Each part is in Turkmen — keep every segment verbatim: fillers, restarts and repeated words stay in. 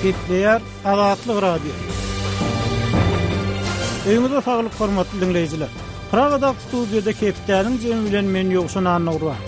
Gepleýär Azatlyk Radiosy. Öýüňize saglyk hormatly diňleýjiler. Pragadaky studiýada hepdäniň jemi bilen men Ýowşan Annagurban.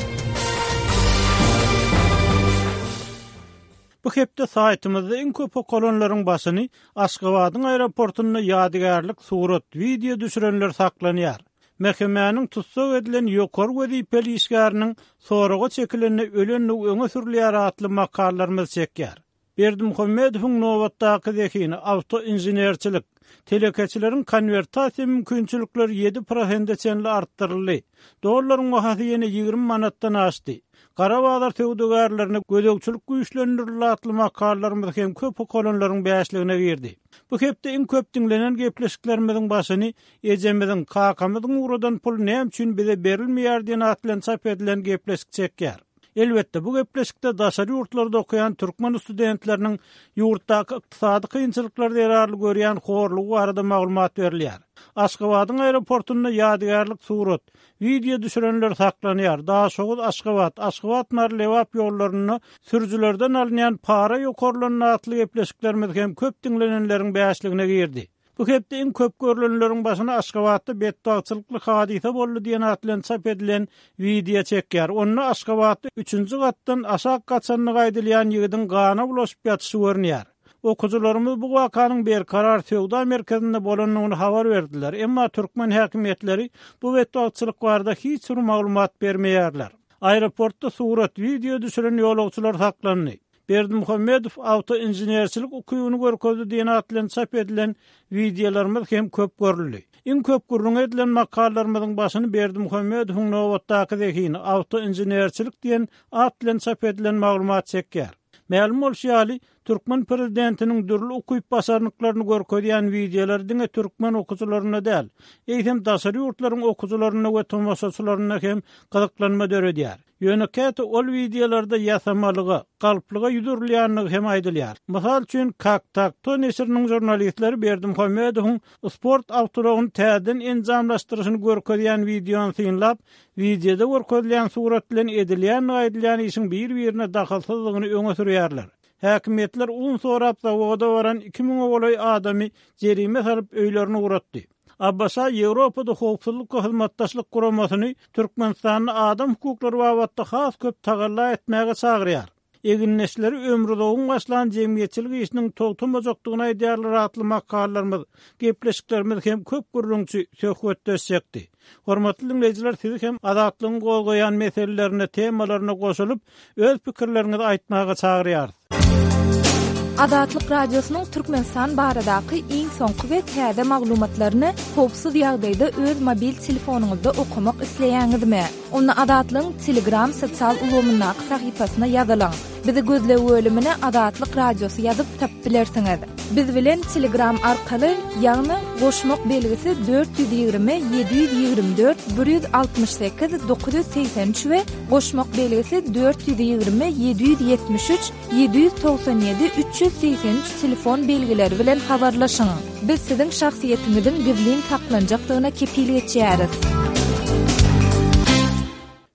Bu hepde saýtymyzda iň köp okalanlaryň başyny Aşgabadyň aeroportunda ýadygärlik surat, wideo düşürenler saklanýar. M H M-niň tussag edilen ýokary wezipeli işgäriniň soraga çekilende ölenligi öňe sürülýär atly makalarymyz çekýär. Berdimuhamedowyň nobatdaky zehini awtoinženerçilik, telekeçileriň konwertasiýa mümkinçilikleri ýedi prosente çenli artdyryldy. Dollaryň bahasy ýene ýigrimi manatdan aşdy. Gara bazar söwdagärlerine gözegçilik güýçlendirildi atly makalarymyz hem köp okalanlaryň bäşligine girdi. Bu hepde iň köp diňlenen gepleşiklerimiziň başyny ejemiziň, kakamyzyň ugradan pul näme üçin bize berilmeýär diýen at bilen çap edilen gepleşik çekýär. Elbetde bu gepleşikde daşary ýurtlarda okaýan türkmen studentleriniň ýurtdaky ykdysady kynçylyklar zerarly görýän horlugy barada maglumat berilýär. Aşgabadyň aeroportunda ýadygärlik surat, wideo düşürenler saklanýar. Daşoguz Aşgabat, Aşgabat Mary Lebap ýollarynda sürüjilerden alynýan para ýokarlanan atly gepleşiklerimiz hem köp diňlenenleriň bäşligine girdi. Bu hepde iň köp görülenleriň başyna Aşgabatda betbagtçylykly hadysa boldy diýen at bilen çap edilen wideo çekýär. Onda Aşgabatda üçünji gatdan aşak gaçanlygy aýdylýan ýigidiň gana bulaşyp ýatyşy görünýär. Okuwçylarymyz bu wakanyň Berkarar söwda merkezinde bolandygyny habar berdiler. Emma türkmen häkimiýetleri bu betbagtçylyk barada hiç bir maglumat bermeýärler. Aeroportda surat, wideo düşüren ýolagçylar saklandy. Berdimuhamedow awtoinženerçilik ukybyny görkezdi diýen at bilen çap edilen wideolarymyz hem köp görüldi. Iň köp gürrüň edilen makalarymyzyň başyny Berdimuhamedowyň nobatdaky zehini awtoinženerçilik diýen at bilen çap edilen maglumat çekýär. Mälim bolşy ýaly, türkmen prezidentiniň dürli ukyp başarnyklaryny görkezýän wideolar diňe türkmen okuwçylarynda däl, eýsem daşary ýurtlaryň okuwçylarynda we tomaşaçylarynda hem gyzyklanma döredýär. Ýöne käte ol wideolarda ýasamalyga, galplyga ýüz urulýanlygy hem aýdylýar. Mysal üçin, Kak-Tak-To neşiriniň žurnalistleri Berdimuhamedowyň sport awtoulagyny täzeden enjamlaşdyryşyny görkezýän wideony synlap, wideoda görkezilýän surat bilen edilýän aýdylýan işiň bir-birine dahylsyzlygyny öňe sürýärler. Häkimiýetler un sorap zawoda baran iki müňe golaý adamy jerime salyp öýlerine ugratdy. A B Ş Ýewropada howpsuzlyk we hyzmatdaşlyk guramasyny Türkmenistanda adam hukuklary babatda has köp tagalla etmäge çagyrýar. Egindeşleri ömrüzogyň başlan jemgyýetçilik işiniň togtamajakdygyny aýdýarlar atly makalarymyz, gepleşiklerimiz hem köp gürrüňçi söhbetdeşjekdi. Hormatly dinleýjiler, sizi hem Azatlygyň gozgaýan meselelerine, temalaryna goşulyp, öz pikirleriňizi aýtmaga çagyrýarys. Azatlyk Radiosynyň Türkmenistan baradaky iň soňky we täze maglumatlaryny howpsuz ýagdaýda öz mobil telefonyňyzda okamak isleýäňizmi? Onda Azatlygyň Telegram sosial ulgamyndaky sahypasyna ýazylyň. Bizi gözleg bölümine Azatlyk Radiosy ýazyp tapyp bilersiňiz. Biz bilen Telegram arkaly, ýagny goşmak belgisi dört ýüz ýigrimi ýedi ýüz ýigrimi dört bir ýüz altmyş sekiz dokuz ýüz segsen üç we goşmak belgisi dört ýüz ýigrimi ýedi ýüz ýetmiş üç ýedi ýüz togsan ýedi üç ýüz segsen üç telefon belgileri bilen habarlaşyň. Biz siziň şahsyýetiňiziň gizlin saklanjakdygyna kepil geçýäris.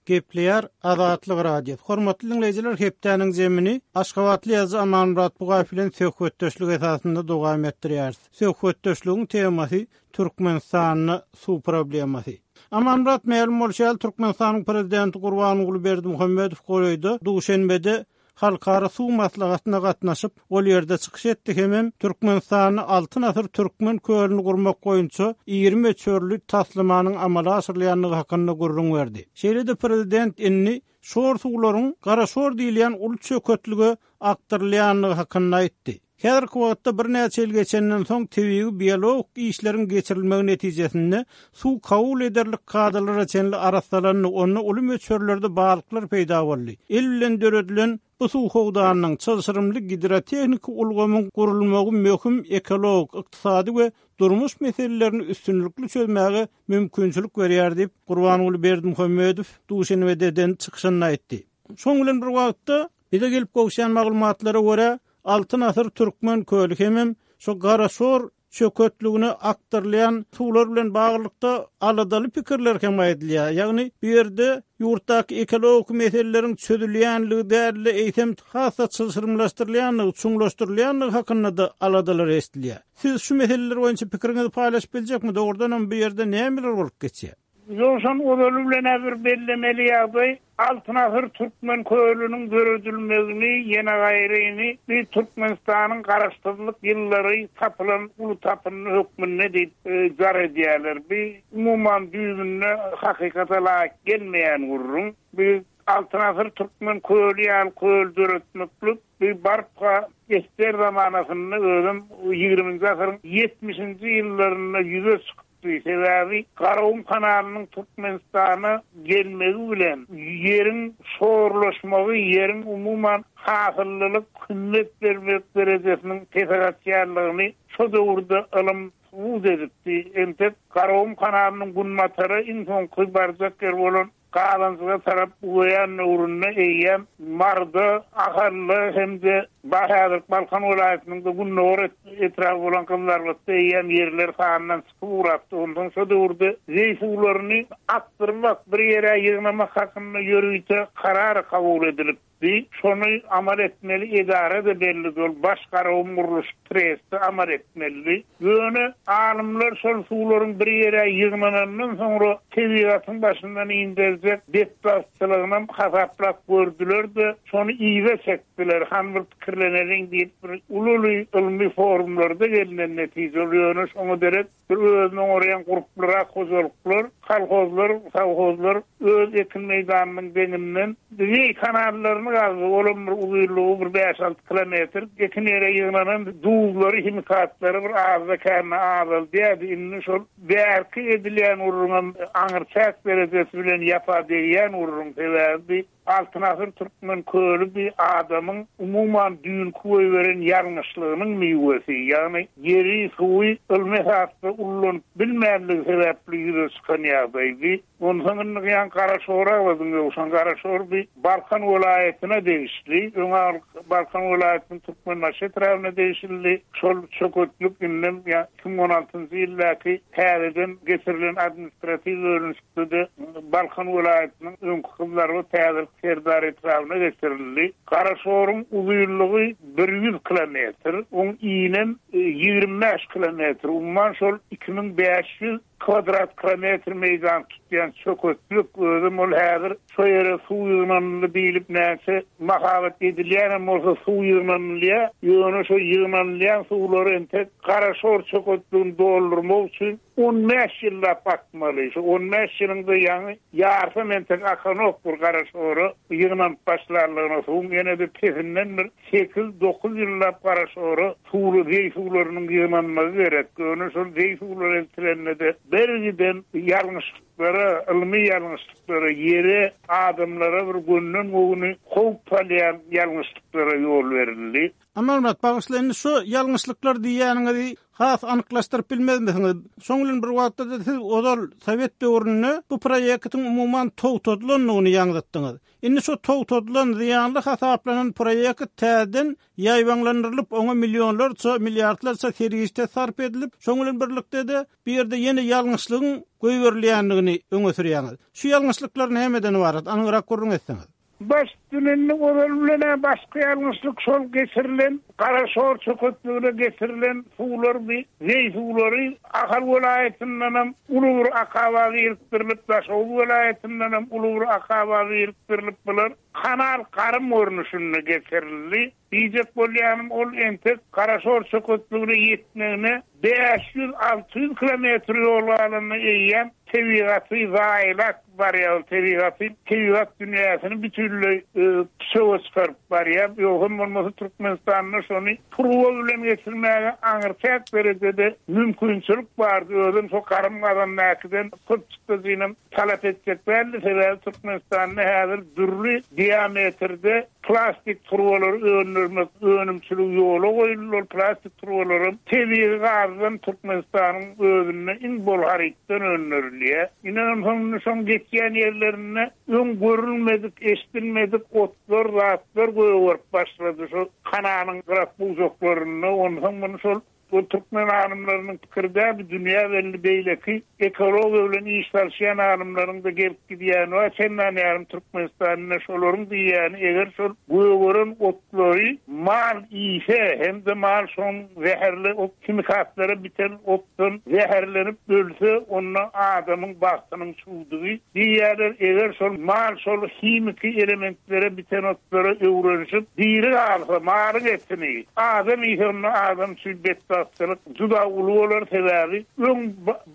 Gepleýär Azatlyk Radiosy. Hormatly dinleýjiler, hepdäniň zemini Aşgabatly ýazyjy Amanmyrat Bugaýew bilen söhbetdeşlik esasynda dowam etdirýäris. Söhbetdeşligiň temasy Türkmenistanda suw problemasy. Amanmyrat, mälim bolşy ýaly, Türkmenistanyň prezidenti Gurbanguly Berdimuhamedow golaýda Duşenbede Halkara suw maslahatyna gatnaşyp, ol ýerde çykyş etdi hemem Türkmenistanda Altyn asyr Türkmen kölüni gurmak boýunça ýigrimi möçberli taslamanyň amala aşyrylýandygy hakynda gürrüň berdi. Şeýle-de prezident indi şor suwlaryň Garaşor diýilýän uly çöketlige akdyrylýandygy hakynda aýtdy. Häzirki wagtda birnäçe ýyl geçenden soň tebigy biologik işleriň geçirilmegi netijesinde suw kabul ederlik kadalara çenli arassalandy, onda uly möçberlerde balyklar peýda boldy. El bilen döredilen bu suw howdanynyň çylşyrymly gidrotehniki ulgamyň gurulmagy möhüm ekologik, ykdysady we durmuş meselelerini üstünlikli çözmäge mümkinçilik berýär diýip Gurbanguly Berdimuhamedow Duşenbede eden çykyşynda aýtdy. Şoň bilen bir wagtda bize gelip gowşan maglumatlara görä Altyn asyr Türkmen köli hemem şu Garaşor çöketligine akdyrylýan suwlar bilen baglylykda aladaly pikirler hem aýdylýar. Ýagny bu ýerde ýurtdaky ekologik meseleleriň çözülýänligi däl-de, eýsem has-da çylşyrymlaşdyrylýanlygy, çuňlaşdyrylýanlygy hakynda da aladalar eşidilýär. Siz şu meseleler boýunça pikiriňizi paýlaşyp biljekmi? Dogrudan hem bu ýerde nämeler bolup geçýär? Ýoşan ozaly bilen bir bellemeli ýagdaý Altyn asyr Türkmen kölüniň döredilmegini ýene gaýryny bir Türkmenistanyň garaşsyzlyk ýyllary tapylan uly tapyndy hökmünde diýip e, jar edýärler. Bir umuman düýbünde hakykata laýyk gelmeýän gurrun. Bir Altyn asyr Türkmen köli ýaly köl döretmeklik bir barka ester zamanasynda özüm ýigriminji asyryň ýetmişinji ýyllarynda ýüze çykypdy. Sebäbi Garagum kanalynyň Türkmenistana gelmegi bilen ýeriň şorlaşmagy, ýeriň umuman hasyllylyk hümmet bermek derejesiniň pese gaçýanlygyny şo döwürde ylym subut edipdi. Entek Garagum kanalynyň günbatara iň soňky barjak ýer bolan Galanjyga tarap ugaýan döwründe eýýäm Marda, Ahally hem-de Bahäzir Balkan welaýatynyň da Gündogar etrabı bolan Gyzlarbatda eýýäm ýerler sanyndan çykyp ugrapdy. Ondan şo döwürde zeý suwlaryny akdyrmak, bir ýere ýygnamak hakynda ýörite karar kabul edilipdi. Şony amal etmeli edara da belli dol, baş Garagum gurluş tresti amal etmeli. Ýöne alymlar şol suwlaryň bir ýere ýygnanandan soňra tebigatyň başyndan inderjek betbagtçylygyny hasaplap gördüler de şony iýe çekdiler. Han bir pikirleneliň diýip bir ululy ylmy forumlarda gelinen netije ýöne şoňa derek bir özüne oňraýan gruplara, hojalyklar, kolhozlar, sowhozlar öz ekin meýdanynyň deňinden zeý kanallaryny gazdy. Olam bir uzynlygy bir bäş alty kilometr ekin ýere ýygnanan duzlary, himikatlary bir azda kände azaldy. Indi şol bärki edilýän urruň aňyrçak derejesi bilen ýapa degýän urruň sebäbi Altyn asyr Türkmen köli bir adamyň umuman düýnki goýberen ýalňyşlygynyň miwesi, ýagny ýeri, suwy ylmy esasda ullanyp bilmänligi sebäpli ýüze çykan ýagdaýdy. Onsoň indi ýan Garaşora badyň ýogşan Garaşor bir Balkan welaýatyna degişli, öňe Balkan welaýatynyň Türkmenbaşy etrabyna degişli. Şol çöketlik indem ýa iki müň on altynjy ýyldaky täzeden geçirilen administratiw bölünişikde Balkan welaýatynyň öňki Gyzlarbat täze Serdar etrabyna geçirildi. Garaşoryň uzynlygy bir ýüz kilometr, oň inem ýigrimi bäş kilometr, umuman şol iki müň bäş ýüz kvadrat kilometr meýdan tutýan çöketlik özüm ol häzir şo ýere suw ýygnanyldy diýilip näçe mahabat edilýän bolsa suw ýygnanylýar. Ýöne şo ýygnanylýan suwlary entek Garaşor çöketligini doldurmak üçin on bäş ýyllap akmaly. Şu on bäş ýylyňda ýaňy ýarsam entek akanok bir Garaşora ýygnanyp başlanlygyna suwuň ýene de pesinden bir sekiz dokuz ýyllap Garaşora suwly zeý suwlarynyň ýygnanmagy gerek. Ýöne şol zeý suwlary eltilende de bergiden ýalňyşlyklara, ylmy ýalňyşlyklara, ýere, adamlara bir gönden gowuny howp salýan ýalňyşlyklara ýol berildi. Amanmyrat, bagyşlaýyn, şu ýalňyşlyklar diýýäniňizi has anyklaşdyryp bilmezmisiňiz? Şoň bilen bir wagtda da siz ozal Sowet döwründe bu proýektiň umuman togtadylandygyny ýaňzytdyňyz. Indi şu togtadylan, zyýanly hasaplanan proýekt täzeden ýaýbaňlandyrylyp, oňa millionlarça, milliardlarça serişde sarp edilip, şoň bilen birlikde de bu ýerde ýene ýalňyşlygyň goýberilýändigini öňe sürýäňiz. Şu ýalňyşlyklar nämeden ibarat? Anygyrak gürrüň etseňiz. Baş dünenli ozal bilen başga ýalňyşlyk şol geçirilen Garaşor çöketligine getirilen suwlar bir zeý suwlary Ahal welaýatyndan hem uly bir akaba giripdirilip, Daşoguz welaýatyndan hem uly bir akaba giripdirilip, bular kanal garym görnüşinde getirildi. Diýjek bolýanym ol entek Garaşor çöketligine ýetmegine bäş ýüz alty ýüz kilometr ýol galanda eýýäm tebigaty zaýalap barýar, tebigaty, tebigat dünýäsini bütünleý, e, pişewe çykaryp barýar. Ýogsam bolmasa Türkmenistanda şony turba bilen geçirmäge aňyrçak derejede mümkinçilik bardy. Özüm şo garym gazandakydan köp çykdajynam talap etjek däldi. Sebäbi Türkmenistanda häzir dürli diametrde plastik turbalary öndürmek önümçiligi ýola goýuldy. Ol plastik turbalary tebigy gazdan Türkmenistanyň özünde iň bol harytdan öndürilýär. Ine onsoň şoň geçýän ýerlerinde öň görülmedik, eşidilmedik otlar, zatlar gögerip başlady. Şu kanalyň gyrak bujaklarynda onsoň muny şol Bu türkmen alymlarynyň pikiri däl, bu dünýä belli beýleki ekologiýa bilen iş salşýan alymlaryň da gelip gidýäni bar. Çendan ýarym Türkmenistanda şolaryň diýýäni, eger şol gögeren otlary mal iýse hem-de mal şoň zäherli ot himikatlara biten otdan zäherlenip ölse, onda adamyň bagtynyň çuwdugy diýýärler. Eger şol mal şol himiki elementlere biten otlara öwrenişip diri galsa, malyň etini adam iýse, onda adam üçin betbagtçylyk juda uly bolar. Sebäbi öň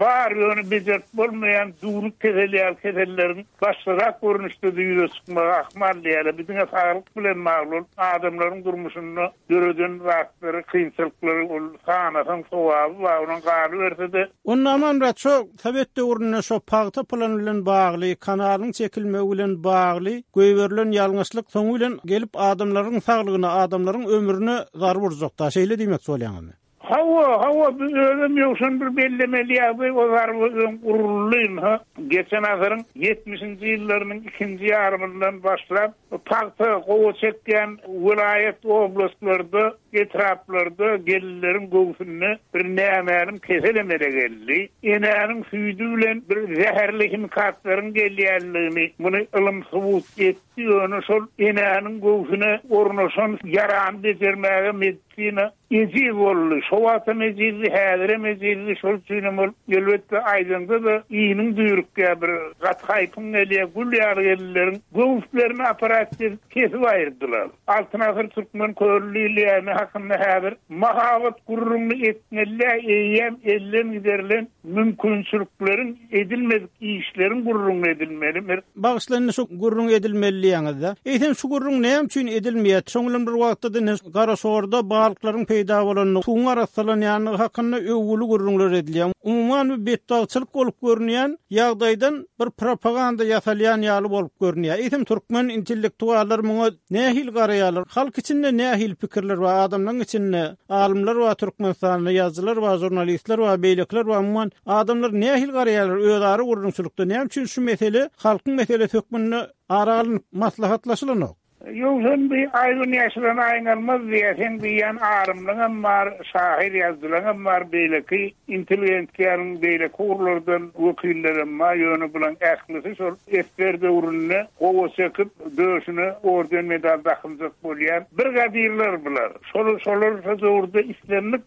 bar ýöne bejerip bolmaýan düwnük kesel ýaly keselleriň başgarak görnüşde-de ýüze çykmagy ahmal diýýärler. Bu diňe saglyk bilen bagly bolup, adamlaryň durmuşynda döreden zatlary, kynçylyklary ol sanasaň sogaby bar, onuň galyberse-de. Onda Amanmyrat, şo sowet döwründe şo pagta plany bilen bagly, kanalyň çekilmegi bilen bagly goýberilen ýalňyşlyk soňy bilen gelip adamlaryň saglygyna, adamlaryň ömrüne zarba urjakda, şeýle diýmek bolýaňmy? Hawa, hawa, bu özüm ýowşan bir bellemeli ýagdaý, o zarba öň uruldy, ha. Geçen asyryň ýetmişinji ýyllarynyň ikinji ýarymyndan başlap, pagta gowa çekýän welaýat oblastlarda, etraplarda gelinleriň göwsünde bir nämälim kesel emele geldi. Enäniň süýdi bilen bir zäherli himikatlaryň gelýänligini muny ylym subut etdi. Ýöne şol enäniň göwsüne ornaşan ýarany bejermäge medisina ejiz boldy. Şo wagtam ejizdi, häzirem ejizdi. Şol üçinem ol elbetde aýdanda-da iniň düýrükýär, bir gaty haýpyň gelýär, gül ýaly gelinleriň göwüslerini aparat edip kesip aýyrdylar. Altyn asyr türkmen köli diýilýäni hakynda häzir mahabat gürrüňini etmeli, eýýäm elden giderilen mümkinçilikleriň edilmedik işleriň gürrüňini edilmeli. Bir Bagyşlandy şu gürrüň edilmeli diýýäňizde. Eýsem şu gürrüň näme üçin edilmeýär? Şoň bilen bir wagtda da Garaşorda balyklaryň peýda bolanyny, suwuň arassalanýanlygy hakynda öwgüli gürrüňler edilýär. Umuman bir betbagtçylyk bolup görünýän ýagdaýdan bir propaganda ýasalýan ýaly bolup görünýär. Eýsem türkmen intellektuallar muňa nähili garaýarlar? Halk içinde nähili pikirler bar? Adamlaryň içinde alymlar bar, Türkmenistanda ýazyjylar bar, jurnalistler bar, beýlekiler bar. Umuman adamlar nähili garaýarlar özara gürrüňçilikde? Näme üçin şu mesele halkyň meselesi hökmünde ara alnyp maslahatlaşylanok? Ýowşan bir aýgyn ýaşylan aýyň almaz diýe, sen diýýän arymlyňam bar, şahyr ýazyjylaňam bar, beýleki intelligensiýanyň beýleki ugurlardan wekillerem bar, ýöne bulan ählisi şol esger döwründe gowa çekip döşüne orden medal dakynjak bolýan bir gadirler bular. Şol şolar şo döwürde islendik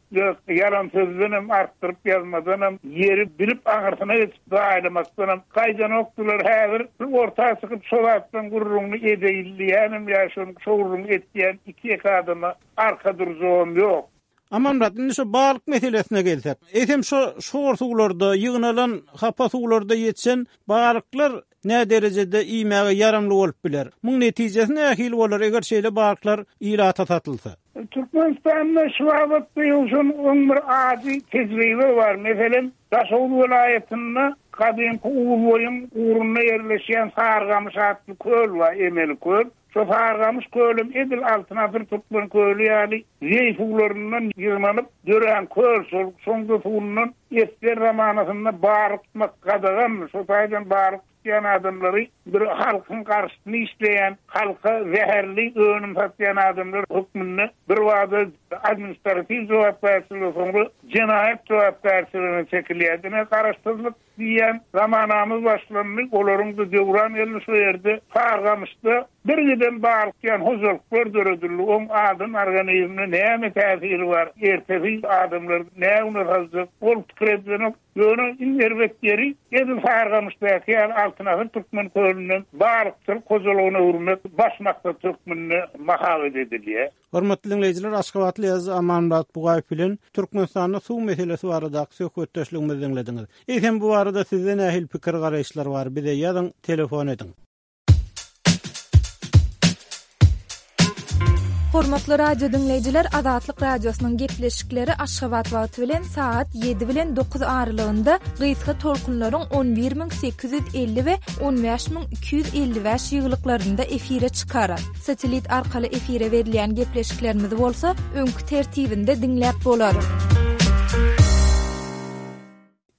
ýalan sözdenem artdyryp ýazmadanam ýeri bilip aňyrsyna geçip zaýlamakdanam gaýdanokdylar. Häzir bir orta çykyp şo zatdan gürrüňini edeýilýänem ýa şonuň şowruny etýän iki ýeke adama arka durjagam ýok. Amanmyrat, indi şu balyk meselesine gelsek. Eýsem şo şor suwlarda ýygnalan hapa suwlarda ýetişen balyklar nä derejede iýmäge ýaramly bolup biler? Muň netijesi nähili bolar eger şeýle balyklar ilata satylsa? Türkmenistanda şu babatda ýowşan on bir ady tejribe bar. Meselem, Daşoguz welaýatynda gadymky Uzboýuň ugrunda ýerleşýän Sargamyş atly köl bar, emeli köl. Şo Sargamyş kölüm edil Altyn asyr türkmen köli ýaly zeý suwlaryndan ýygnanyp dörän köl, şol şoňda suwundan esger zamanasynda balyk tutmak gadagan, şo taýdan balyk tutýan adamlary bir halkyň garşysyny işleýän, halka zäherli önüm satýan adamlar hökmünde bir wada administratiw jogapkärçilige, soňra jenaýat jogapkärçiligine çekilýär. Diňe garaşsyzlyk diýen zamanamyz başlandy, olaryň da döwran geldi şu ýerde Sargamyşda bir giden balyk ýan hojalyklar döredildi. Oň adam organizmine näme täsiri bar? Ertesi adamlar näme saljak? Ol pikir edilenok. Ýöne iň erbet ýeri edil Sargamyşdaky ýaly Altyn asyr türkmen kölünden balykçylyk hojalygyna öwürmek baş maksat hökmünde mahabat edilýär. Hormatly dinleýjiler, Aşgabatly ýazyjy Amanmyrat Bugaýew bilen Türkmenistanda suw meselesi baradaky söhbetdeşligimizi diňlediňiz. Eýsem bu barada sizde nähili pikir garaýyşlar bar? Bize ýazyň, telefon ediň. Hormatly radio dinleýjiler, Azatlyk radiosynyň gepleşikleri Aşgabat wagty bilen saat ýedi bilen dokuz aralygynda gysga tolkunlaryň on bir müň sekiz ýüz elli we on bäş müň iki ýüz elli bäş ýyglyklarynda efire çykar. Satelit arkaly efire berilýän gepleşiklerimizi bolsa öňki tertibinde diňläp bolar.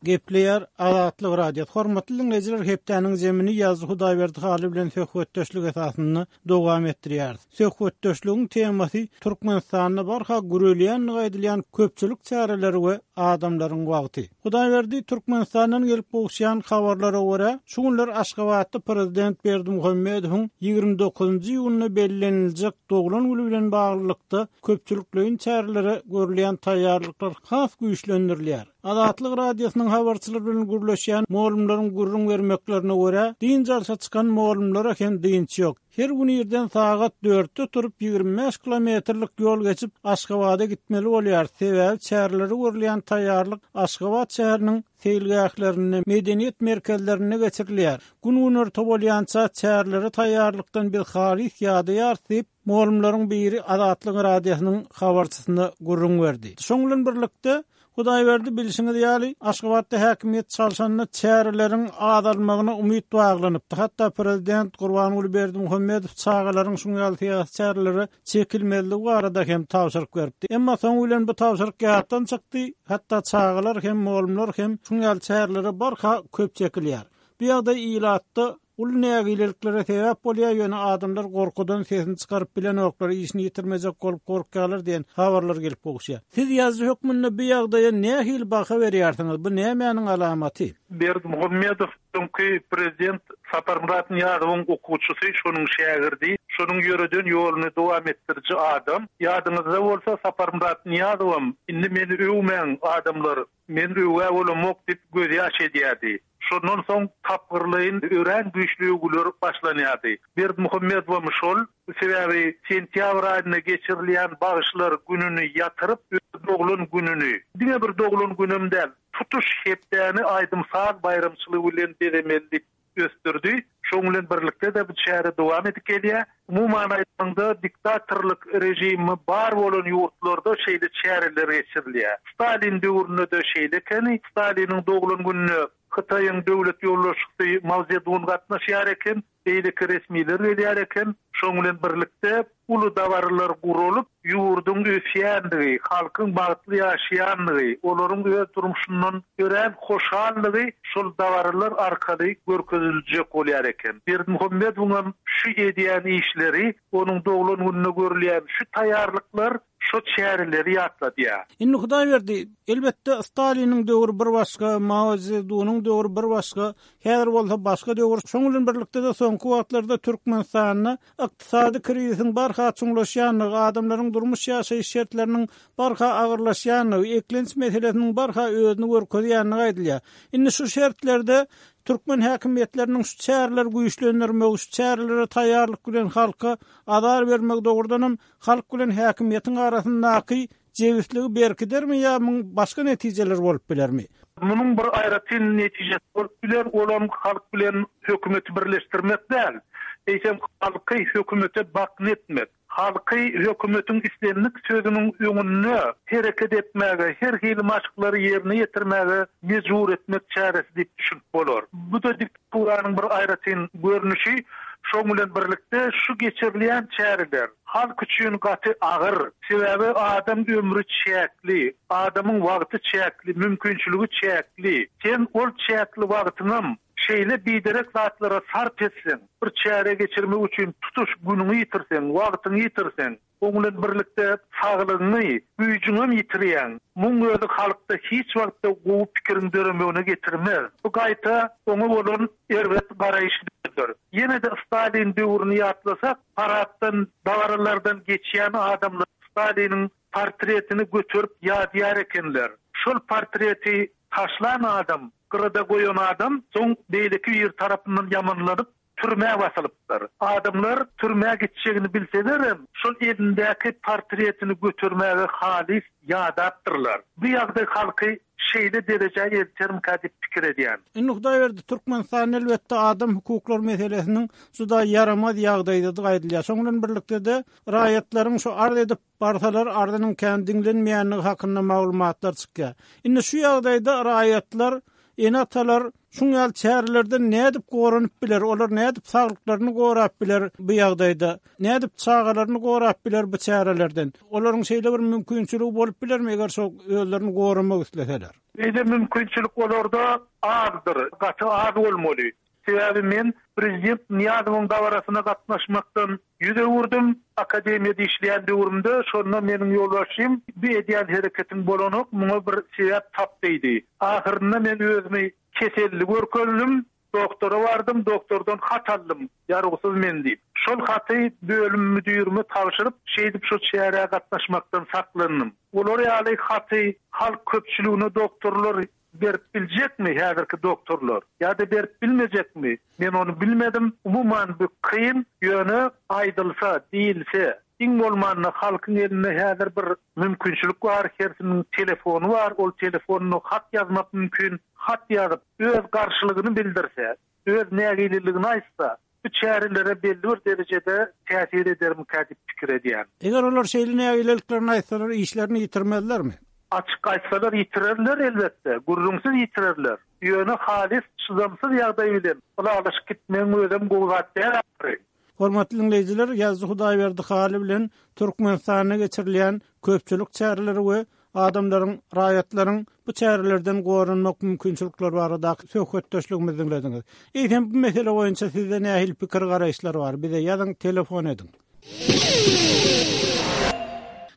Gepleýär Azatlyk Radiosy. Hormatly diňleýjiler, hepdäniň zemini Ýazyjy Hudaýberdi Hally bilen söhbetdeşlik esasynda dowam etdirýäris. Söhbetdeşligiň temasy Türkmenistanda barha gürelýändigi aýdylýan köpçülik çäreleri we adamlaryň wagty. Hudaýberdi Türkmenistandan gelip gowuşýan habarlara görä, şu günler Aşgabatda prezident Berdimuhamedowyň ýigrimi dokuzynjy iýunda belleniljek doglan güni bilen baglylykda köpçülikleýin çärelere görülýän taýýarlyklar has güýçlendirilýär. Azatlyk Radiosynyň habarçylary bilen gürleşýän mugallymlaryň gürrüň bermeklerine görä, dynç alşa çykan mugallymlara hem dynç ýok. Her gün irden sagat dörtde turup ýigrimi bäş kilometrlik ýol geçip Aşgabada gitmeli bolýar. Sebäbi çärelere görülýän taýýarlyk Aşgabat şäheriniň seýilgählerinde, medeniýet merkezlerinde geçirilýär. Gün günorta bolýança çärelere taýýarlykdan biz halys ýadaýarys diýip, mugallymlaryň biri Azatlyk Radiosynyň habarçysyna gürrüň berdi. Şoň bilen birlikde Hudaýberdi bilşiňiz ýaly, Aşgabatda häkimiýet çalşanda çäreleriň azalmagyna umyt baglanypdy. Hatda prezident Gurbanguly Berdimuhamedow çagalaryň şuň ýaly syýasy çärelere çekilmezligi barada hem tabşyryk beripdi. Emma soň bilen bu tabşyryk ýatdan çykdy. Hatda çagalar hem, mugallymlar hem şuň ýaly çärelere barha köp çekilýär. Bu ýagdaý ilatda uly nägileliklere sebäp bolýar, ýöne adamlar gorkudan sesini çykaryp bilenoklar, işini ýitirmejek bolup korkýarlar diýen habarlar gelip gowuşýar. Siz ýazyjy hökmünde bu ýagdaýa nähili baha berýärsiňiz? Bu nämäniň alamaty? Berdimuhamedow öňki prezident Saparmyrat Nyýazowyň okuwçysy, şonuň şägirdi, şonuň ýöreden ýoluny dowam etdiriji adam. Ýadyňyzda bolsa Saparmyrat Nyýazowam indi meni öwmäň adamlar, men öwgä bolamok diýip göz ýaş edýärdi. Şondan soň tapgyrlaýyn örän güýçli öwgüler başlanýardy. Berdimuhamedowam şol, sebäbi sentýabr aýynda geçirilýän bagyşlar gününi ýatyryp, öz doglan gününi, diňe bir doglan günüm däl, tutuş hepdäni aýdym-saz baýramçylygy bilen bezemeli diýip ösdürdi. Şoň bilen birlikde-de bu çäre dowam edip gelýär. Umuman aýdanda, diktatorlyk rejimi bar bolan ýurtlarda şeýle çäreler geçirilýär. Stalin döwründe-de şeýle ekeni. Staliniň doglan gününe Hytaýyň döwlet ýolbaşçysy Mao Zedun gatnaşýar eken, beýleki resmiler gelýär eken. Şoň bilen birlikde uly dabaralar guralyp, ýurduň ösýändigi, halkyň bagtly ýaşaýandygy, olaryň öz durmuşyndan örän hoşallygy şol dabaralar arkaly görkeziljek bolýar eken. Berdimuhamedowam şu edýän işleri, onuň doglan gününe görülýän şu taýýarlyklar şu çäreleri ýatladýar. Indi Hudaýberdi, elbetde Staliniň döwri bir başga, Mao Zedunyň döwri bir başga, häzir bolsa başga döwür. Şoň bilen birlikde-de soňky wagtlarda Türkmenistanda ykdysady krizisiň barha çuňlaşýandygy, adamlaryň durmuş ýaşaýyş şertleriniň barha agyrlaşýandygy, eklenç meselesiniň barha özüni görkezýändigi aýdylýar. Indi şu şertlerde türkmen häkimiýetleriniň şu çäreleri güýçlendirmegi, şu çärelere taýýarlyk bilen halka azar bermegi dogrudanam halk bilen häkimiýetiň arasyndaky jebisligi berkidermi ýa muň başga netijeler bolup bilermi? Munuň bir aýratyn netijesi bolup biler, olam halk bilen hökümeti birleşdirmek däl. Eýsem halky hökümete bakyn etmek, halky hökümetiň islendik sözüniň öňünde hereket etmäge, her hili maşklary ýerine ýetirmäge mejbur etmek çäresi diýip düşünip bolar. Bu da diktaturanyň bir aýratyn görnüşi. Şoň bilen birlikde şu geçirilýän çäreler halk üçin gaty agyr. Sebäbi adam ömrü çäkli, adamyň wagty çäkli, mümkinçiligi çäkli. Sen ol çäkli wagtyňam şeýle biderek zatlara sarp etseň, bir çäre geçirmek üçin tutuş günüňi ýitirseň, wagtyňy ýitirseň, oň bilen birlikde saglygyňy, güýjüňi ýitirýäň. Muň özi halkda hiç wagtda gowy pikiriň döremegine getirmez. Bu gaýta oňa bolan erbet garaýyşdyr. Ýene-de Stalin döwrüni ýatlasak, paraddan, dabaralardan geçýän adamlar Staliniň portretini göterip ýadýar ekenler. Şol portreti taşlan adam, gyrada goýan adam soň beýleki bir tarapyndan ýamanlanyp türmä basylypdyr. Adamlar türmä gitjegini bilselerem, şol elindäki portretini götermäge halys ýadapdyrlar. Bu ýagdaý halky şeýle derejä eltermkä diýip pikir edýän. Indi Hudaýberdi, Türkmenistan elbetde adam hukuklar meselesiniň juda ýaramaz ýagdaýdadygy aýdylýar. Şoň bilen birlikde-de raýatlaryň şu arz edip barsalar arzynyň kän diňlenmeýändigi hakynda maglumatlar çykýar. Indi şu ýagdaýda raýatlar, ene-atalar Şuň ýaly çärelerden nädip goranyp biler, olar nädip saglyklaryny gorap biler bu ýagdaýda, nädip çagalaryny gorap biler bu çärelerden? Olaryň şeýle bir mümkinçiligi bolup bilermi eger şo özlerini goramak isleseler? Eýle mümkinçilik olarda azdyr, gaty az bolmaly. Sebäbi men prezident Niýazowyň dabarasyna gatnaşmakdan ýüz öwürdim. Akademiýada işleýän döwrümde şonda meniň ýolbaşçym bu edýän hereketiň bolanok, muňa bir sebäp tap diýdi. Ahyrynda men özümi keselli görkezdim, doktora bardym, doktordan hat aldym, ýargysız men diýip. Şol haty bölüm müdürime tabşyryp, şeýdip şu çärä gatnaşmakdan saklandym. Olar ýaly haty halk köpçüligine doktorlar berip biljekmi häzirki doktorlar ýa-da berip bilmejekmi? Men ony bilmedim. Umuman bu kyn, ýöne aýdylsa, diýilse, iň bolmanda halkyň elinde häzir bir mümkinçilik bar, hersiniň telefony bar, ol telefonyna hat ýazmak mümkin. Hat ýazyp, öz garşylygyny bildirse, öz nägileligini aýtsa, bu çärelere belli bir derejede täsir edermikä diýip pikir edýän. Eger olar şeýle nägileliklerini aýtsalar, işlerini ýitirmezlermi? Açyk aýtsalar ýitirerler elbetde, gürrüňsiz ýitirerler. Ýöne halis çydamsyz ýagdaý bilen ylalaşyp gitmegiň özem gowy zat däl ahyry. Hormatly dinleýjiler, Ýazyjy Hudaýberdi Haly bilen Türkmenistanda geçirilýän köpçülik çäreleri we adamlaryň, raýatlaryň bu çärelerden goranmak mümkinçilikleri baradaky söhbetdeşligimizi dinlediňiz. Eýsem bu mesele boýunça sizde nähili pikir garaýyşlar bar? Bize ýazyň, telefon ediň.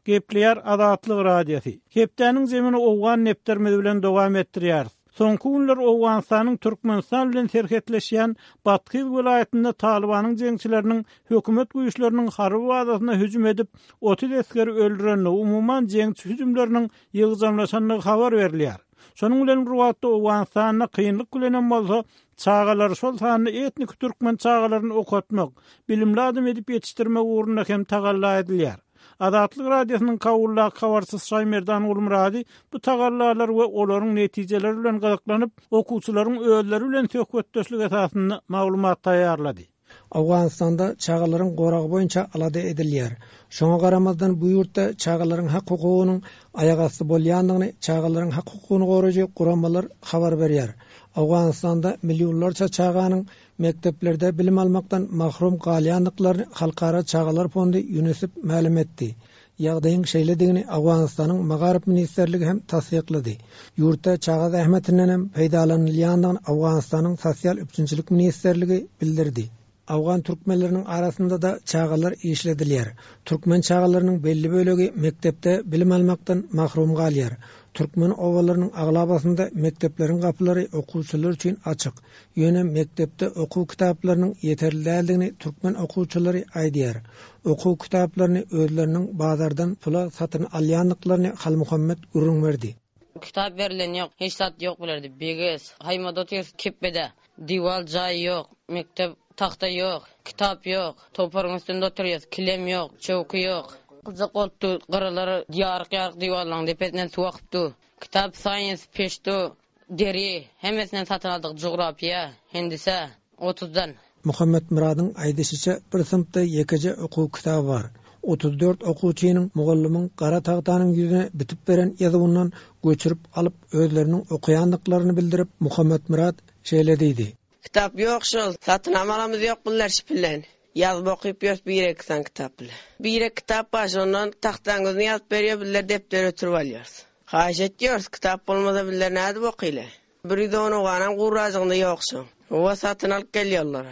Gepleýär Azatlyk Radiosy. Hepdäniň zemini Owgan nepterimiz bilen dowam etdirýäris. Soňky günler Owganystanyň Türkmenistan bilen serhetleşýän Bathyz welaýatynda Talybanyň jeňçileriniň hökümet güýçleriniň harby bazasyna hüjüm edip, otuz esgeri öldürendigi, umuman jeňçi hüjümleriniň ýygjamlaşandygy habar berilýär. Şonuň bilen bir wagtda Owganystanda kynlyk bilenem bolsa çagalary, şol sanda etnik türkmen çagalaryny okatmak, bilimli adam edip ýetişdirmek ugrunda hem tagalla edilýär. Azatlyk Radiosynyň Kabuldaky habarçysy Şaýmerdan Gulmyrady bu tagallalar we olaryň netijeleri bilen gyzyklanyp, okuwçylaryň özleri bilen söhbetdeşlik esasynda maglumat taýýarlady. Owganystanda çagalaryň goragy boýunça alada edilýär. Şoňa garamazdan bu ýurtda çagalaryň hak hukugynyň aýagasty bolýandygyny çagalaryň hak hukugyny goraýjy guramalar habar berýär. Owganystanda millionlarça çaganyň mekdeplerde bilim almakdan mahrum galýandyklaryny Halkara Çagalar Fondy UNICEF mälim etdi. Ýagdaýyň şeýledigini Owganystanyň Magaryf Ministrligi hem tassyklady. Ýurtda çaga zähmetinden hem peýdalanylýandygyny Owganystanyň Sosial üpjünçilik Ministrligi bildirdi. Awgan türkmenleriniň arasynda da çagalar işledilýär. Türkmen çagalarynyň belli bölegi mekdepde bilim almakdan mahrum galýar. Türkmen obalarynyň aglabasynda mekdepleriň gapylary okuwçylar üçin açyk. Ýöne mekdepde okuw kitaplarynyň ýeterli däldigini türkmen okuwçylary aýdýar. Okuw kitaplaryny özleriniň bazardan pula satyn alýandyklaryny Halmuhammet gürrüň berdi. Kitap berilen ýok, hiç zat ýok bilerdi. Beges, haýmada otyr, kepbede. Diwal jaý ýok, mekdep tahta ýok, kitap ýok. Toparyň üstünde oturýas, kilem ýok, çöwki ýok. Gyzak bolupdy, gyralar ýaryk-ýaryk diwallaryň depesinden suw akypdy. Kitap, science, peşto, deri, hemmesinden satyn aldyk. Coğrafiýa, hendise, otuzdan. Muhammet Muradyň aýdyşyça bir synpda ýekeje okuw kitaby bar. Otuz dört okuwçynyň mugallymyň gara tagtanyň ýüzüne bitip beren ýazuwyndan göçürip alyp özleriniň okaýandyklaryny bildirip Muhammet Murad şeýle diýdi. Kitap ýok şol, satyn almalamyz ýok bunlar şipillen. Ýazyp okyp ýörüs bir iki san kitap bile. Bir iki kitap bar, şondan tagtaň özüni ýazyp berýär, bizler depder ötürip alýarys. Haýyş etýäris, kitap bolmasa bizler nädip okyly? Bir ýüz on oganam gurajygynda ýok şoň. Owa satyn alyp gelýärler.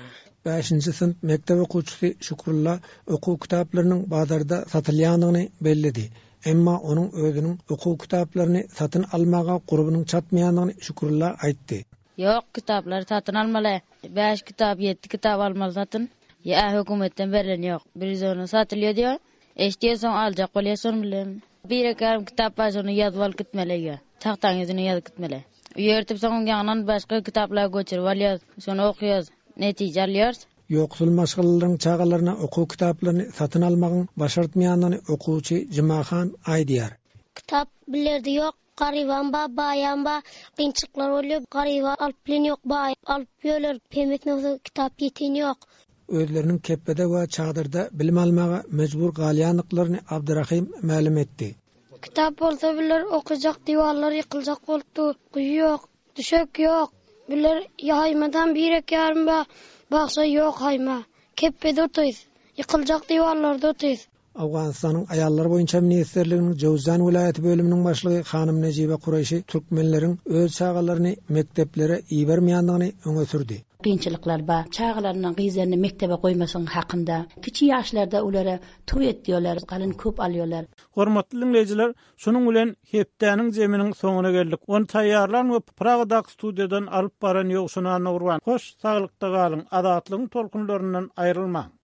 Bäşinji synp mekdep okuwçysy Şükrulla okuw kitaplarynyň bazarda satylýandygyny belledi. Emma onuň özüniň okuw kitaplaryny satyn almaga gurbunyň çatmaýandygyny Şükrulla aýtdy. Ýok, kitaplary satyn almaly. Bäş kitap, ýedi kitap almaly satyn. Ýa hökümetden berilen ýok. Bir ýüz onu satylýar diýär. Eşdiýär soň aljak bolýar şonu bilen. Bir iki ýarym kitap bar, şonu ýazyp alyp gitmeli öýe. Tagtaň ýüzüne ýazyp gitmeli. Öýertip soň ýanyndan başga kitaplar göçürip alýar, şonu okaýarys, netije alýarys. Ýoksul maşgalalaryň çagalaryna okuw kitaplaryny satyn almagyň başartmaýandygyny okuwçy Jumahan aýdýar. Kitap bilerdi ýok, garyban ba, baýan ba, kynçylyklar bolýar, garyba alyp bilen ýok, baý alyp ýöler, hemmesine bolsa kitap ýeten ýok. Özleriniň kepbede we çadyrda bilim almaga mejbur galýandyklaryny Abdurrahim mälim etdi. Kitap bolsa biler okuyacak, diwarlar yıkılacak bolupdy, guýy ýok, düşek ýok. Bular ýaýmadan birek ýarym ba, bagça ýok haýma. Kepbede otyrys. Ýykyljak diwarlarda otyrys. Owganystanyň Aýallar boýunça ministrliginiň Jowzjan welaýaty bölüminiň başlygy hanym Nejibe Kureýşi türkmenleriň öz çagalaryny mekdeplere ibermeýändigini öňe sürdi. Kynçylyklar bar. Çagalaryny, gyzlaryny mekdebe goýmasyň hakynda. Kiçi ýaşlarda olara toý etdiyorlar, galyn köp alýarlar. Hormatly diňleýjiler, şunuň bilen hepdäniň zeminiň soňuna geldik. Ony taýýarlan we Pragadaky studiýadan alyp baran Ýowşan Annagurban. Hoş, saglykda galyň, azatlygyň tolkunlaryndan aýrylmaň.